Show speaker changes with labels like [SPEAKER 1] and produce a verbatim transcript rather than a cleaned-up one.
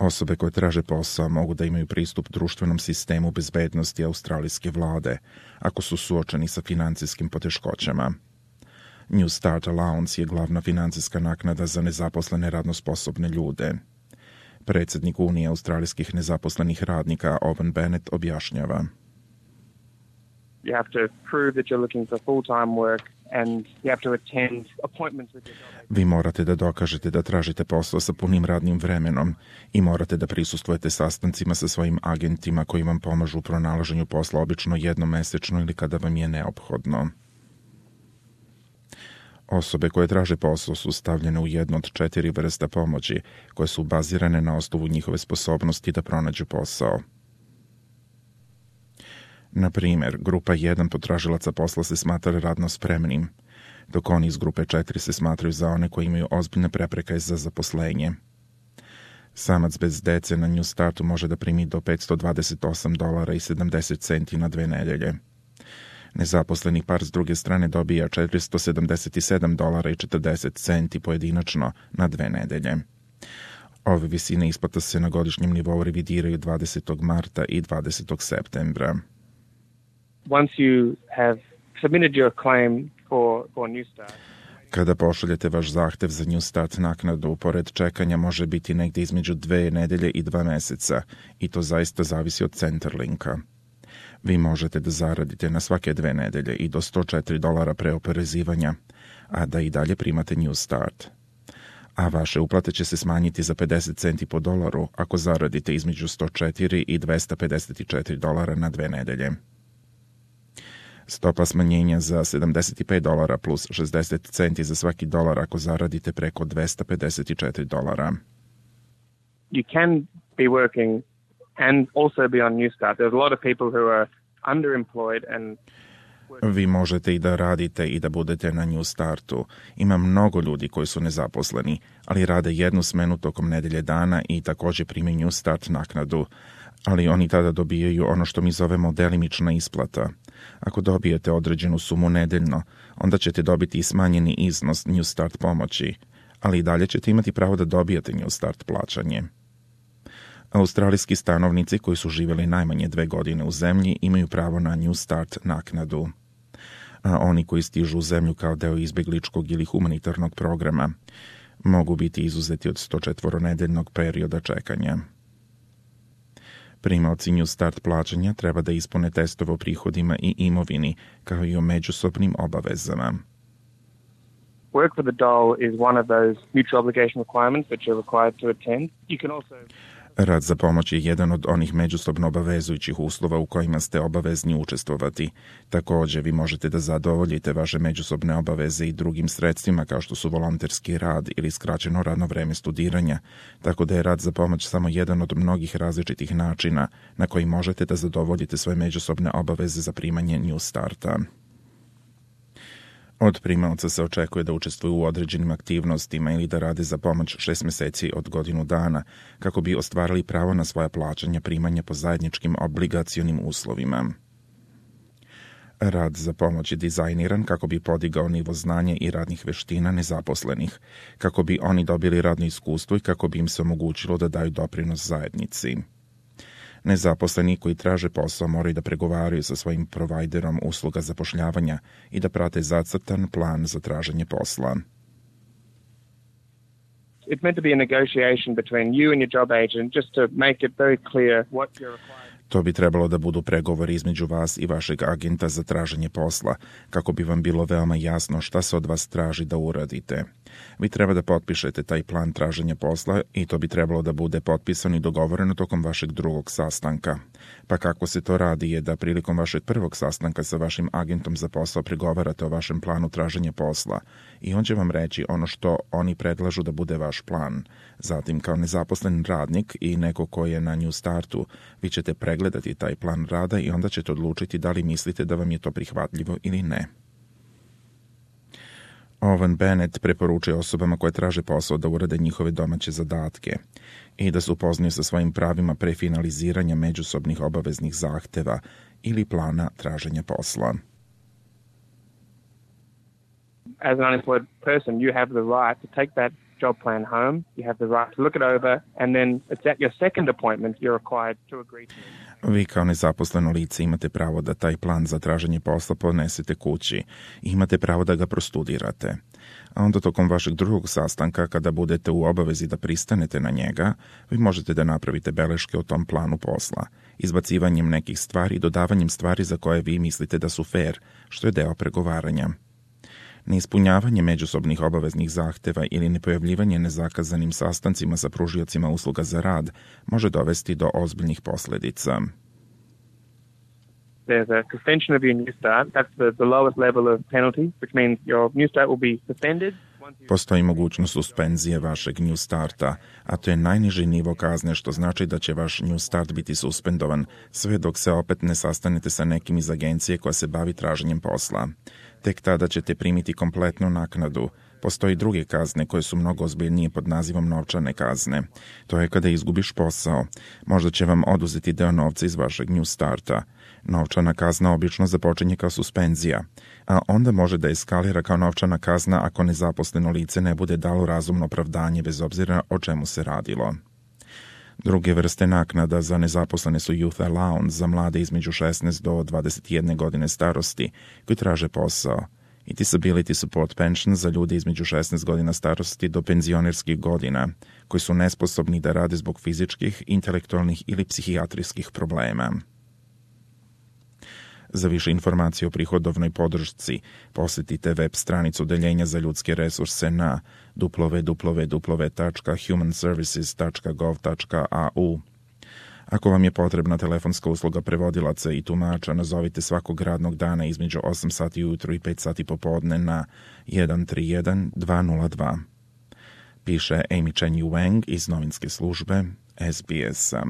[SPEAKER 1] Osobe koje traže posao mogu da imaju pristup društvenom sistemu bezbednosti australijske vlade ako su suočeni sa financijskim poteškoćama. New Start Allowance je glavna financijska naknada za nezaposlene radno sposobne ljude. Predsjednik Unije australijskih nezaposlenih radnika Owen Bennett objašnjava.
[SPEAKER 2] You have to prove that you're looking for full-time work and you have to attend appointments with your job.
[SPEAKER 1] Vi morate da dokažete da tražite posao sa punim radnim vremenom i morate da prisustvujete sastancima sa svojim agentima koji vam pomažu u pronalaženju posla, obično jednom mesečno ili kada vam je neophodno. Osobe koje traže posao su stavljene u jednu od četiri vrsta pomoći koje su bazirane na osnovu njihove sposobnosti da pronađu posao. Na primjer, grupa jedan potražilaca posla se smatra radno spremnim, dok oni iz grupe četiri se smatraju za one koji imaju ozbiljne prepreke za zaposlenje. Samac bez dece na New Startu može da primi do petsto dvadeset osam dolara i sedamdeset centi na dve nedelje. Nezaposleni par s druge strane dobija četiristo sedamdeset sedam dolara i četrdeset centi pojedinačno na dve nedelje. Ove visine isplata se na godišnjem nivou revidiraju dvadesetog marta i dvadesetog septembra.
[SPEAKER 2] Once you have submitted your claim for, for New Start,
[SPEAKER 1] kada pošaljete vaš zahtev za New Start naknadu, pored čekanja može biti negdje između dve nedelje i dva meseca i to zaista zavisi od Centerlinka. Vi možete da zaradite na svake dve nedelje i do sto četiri dolara pre oporezivanja, a da i dalje primate New Start. A vaše uplate će se smanjiti za pedeset centi po dolaru ako zaradite između sto četiri i dvesta pedeset četiri dolara na dve nedelje. Stopa smanjenja za sedamdeset pet dolara plus šezdeset centi za svaki dolar ako zaradite preko dvesta pedeset četiri dolara.
[SPEAKER 2] you can be working and also be on New Start. There's a lot of people who are underemployed and
[SPEAKER 1] Vi možete i da radite i da budete na New Startu. Ima mnogo ljudi koji su nezaposleni, ali rade jednu smenu tokom nedelje dana i također primaju New Start naknadu, ali oni tada dobijaju ono što mi zovemo delimična isplata. Ako dobijete određenu sumu nedeljno, onda ćete dobiti i smanjeni iznos New Start pomoći, ali i dalje ćete imati pravo da dobijete New Start plaćanje. Australijski stanovnici koji su živjeli najmanje dve godine u zemlji imaju pravo na New Start naknadu. A oni koji stižu u zemlju kao deo izbjegličkog ili humanitarnog programa mogu biti izuzeti od sto četvornedeljnog perioda čekanja. Primaoci New Start plaćanja treba da ispune testove o prihodima i imovini, kao i o međusobnim obavezama.
[SPEAKER 2] work for the dole is one of those mutual obligation requirements that you're required to attend. You can also
[SPEAKER 1] Rad za pomoć je jedan od onih međusobno obavezujućih uslova u kojima ste obavezni učestvovati. Također, vi možete da zadovoljite vaše međusobne obaveze i drugim sredstvima kao što su volonterski rad ili skraćeno radno vreme studiranja, tako da je rad za pomoć samo jedan od mnogih različitih načina na koji možete da zadovoljite svoje međusobne obaveze za primanje New Starta. Od primaoca se očekuje da učestvuju u određenim aktivnostima ili da rade za pomoć šest mjeseci od godinu dana, kako bi ostvarili pravo na svoja plaćanja primanja po zajedničkim obligacionim uslovima. Rad za pomoć je dizajniran kako bi podigao nivo znanja i radnih veština nezaposlenih, kako bi oni dobili radno iskustvo i kako bi im se omogućilo da daju doprinos zajednici. Nezaposleni koji traže posao moraju da pregovaraju sa svojim provajderom usluga zapošljavanja i da prate zacrtan plan za traženje posla.
[SPEAKER 2] it's meant to be a negotiation between you and your job agent just to make it very clear what you're required.
[SPEAKER 1] To bi trebalo da budu pregovori između vas i vašeg agenta za traženje posla, kako bi vam bilo veoma jasno šta se od vas traži da uradite. Vi treba da potpišete taj plan traženja posla i to bi trebalo da bude potpisano i dogovoreno tokom vašeg drugog sastanka. Pa kako se to radi je da prilikom vašeg prvog sastanka sa vašim agentom za posao pregovarate o vašem planu traženja posla i on će vam reći ono što oni predlažu da bude vaš plan. Zatim, kao nezaposlen radnik i neko ko je na New Startu, vi ćete pregledati taj plan rada i onda ćete odlučiti da li mislite da vam je to prihvatljivo ili ne. Owen Bennett preporučuje osobama koje traže posao da urade njihove domaće zadatke i da se upoznaju sa svojim pravima pre finaliziranja međusobnih obaveznih zahteva ili plana traženja posla.
[SPEAKER 2] As an unemployed person, you have the right to take that job plan home. You have the right to look it over, and then it's at your second appointment you're required to agree to it.
[SPEAKER 1] Vi kao nezaposleno lice imate pravo da taj plan za traženje posla podnesete kući i imate pravo da ga prostudirate. A onda tokom vašeg drugog sastanka, kada budete u obavezi da pristanete na njega, vi možete da napravite beleške o tom planu posla, izbacivanjem nekih stvari i dodavanjem stvari za koje vi mislite da su fair, što je deo pregovaranja. Neispunjavanje međusobnih obaveznih zahteva ili nepojavljivanje nezakazanim sastancima sa pružiocima usluga za rad može dovesti do ozbiljnih posljedica.
[SPEAKER 2] There's a suspension of your new start. That's the, the lowest level of penalty, which means your new start will be suspended.
[SPEAKER 1] Postoji mogućnost suspenzije vašeg New Starta, a to je najniži nivo kazne, što znači da će vaš New Start biti suspendovan sve dok se opet ne sastanete sa nekim iz agencije koja se bavi traženjem posla. Tek tada ćete primiti kompletnu naknadu. Postoji druge kazne koje su mnogo ozbiljnije pod nazivom novčane kazne. To je kada izgubiš posao. Možda će vam oduzeti deo novca iz vašeg New Starta. Novčana kazna obično započinje kao suspenzija, a onda može da eskalira kao novčana kazna ako nezaposleno lice ne bude dalo razumno opravdanje bez obzira o čemu se radilo. Druge vrste naknada za nezaposlene su Youth Allowance za mlade između šesnaest do dvadeset jedne godine starosti koji traže posao i Disability Support Pension za ljude između šesnaest godina starosti do penzionerskih godina koji su nesposobni da rade zbog fizičkih, intelektualnih ili psihijatrijskih problema. Za više informacije o prihodovnoj podršci posjetite web stranicu Odeljenja za ljudske resurse na w w w tačka human services tačka gov tačka a u. Ako vam je potrebna telefonska usluga prevodilaca i tumača, nazovite svakog radnog dana između osam sati ujutro i pet sati popodne na jedan tri jedan dva nula dva. Piše Amy Chen Wang iz novinske službe S B S-a.